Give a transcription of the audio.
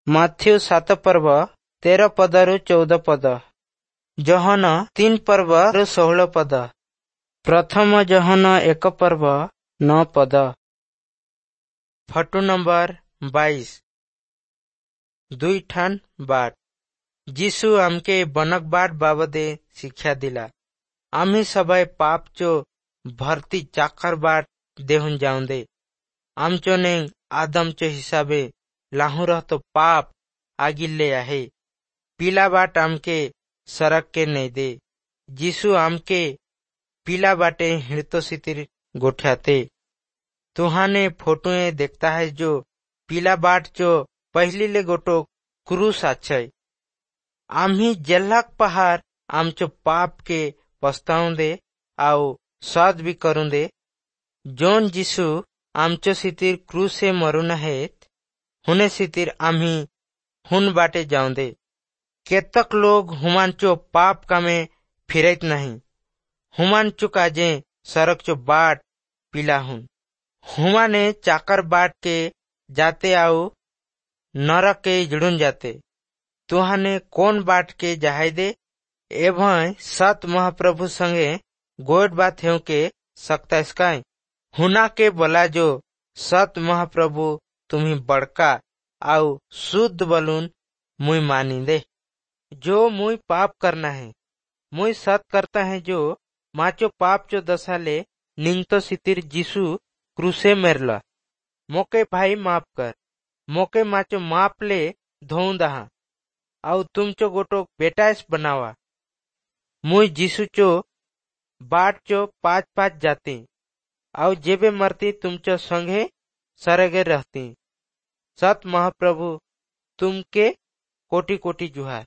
Matthew 7 ପର୍ବ 13 ପଦରୁ 14 ପଦ, ଯୋହନ 3 ପର୍ବରୁ 16 ପଦ, ପ୍ରଥମ ଯୋହନ 1 ପର୍ବ 9 ପଦ। Photo number 22। ଦୁଇ ଠାନ୍ ବାଟ। ଯୀଶୁ ଆମକେ ବନକ बाट ବାବଦେ ଶିକ୍ଷା ଦିଲା। আমি সবাই পাপ চো ভর্তি চাকর बाट देहुन जाऊंदे। आमचो ने आदम चो हिसाबे लाहू रहतो पाप आगिल्ले आहे। पीला बाट आमके सड़क के नहीं दे। यीशु आमके पीला बाटे हिड़तो सितिर गोठ्याते। तुहाने फोटोए देखता है जो पीला बाट चो पहली ले गोटो क्रूस आछय। आम्ही जेल्लाक पहाड़ आमचो पाप के पछताऊं दे आउ साद भी करूं दे। जोन जिसु आमचो सितिर क्रूसे मरून हेत हुने सितिर आम्ही हुन बाटे जाऊं दे। केतक लोग हुमानचो पाप कामे फिरत नहीं, हुमान चुका जे सड़क चो बाट पीला हुन। हुमाने चाकर बाट के जाते आउ नरक के जुड़ुन जाते। तुहाने कौन बाट के जाहे दे एवं सत महाप्रभु संगे गोट बात हेउ के सकता इसकाय। हुना के बोला जो सत महाप्रभु तुम्ही बड़का आउ शुद्ध बलून मुई मानी दे। जो मुई पाप करना है मुई सत करता है जो माचो पाप चो दशा ले निंगतो सितिर जीसु क्रूसे मेरला। मोके भाई माफ कर, मोके माचो माप ले धोऊं दहा आउ तुमचो गोटो बेटाइस बनावा। मुई जीसु चो बाट चो पाँच पाँच जाती आउ जेबे मरती तुमचो संगे सरगे रहती। सत महाप्रभु तुमके कोटि कोटि जुहार।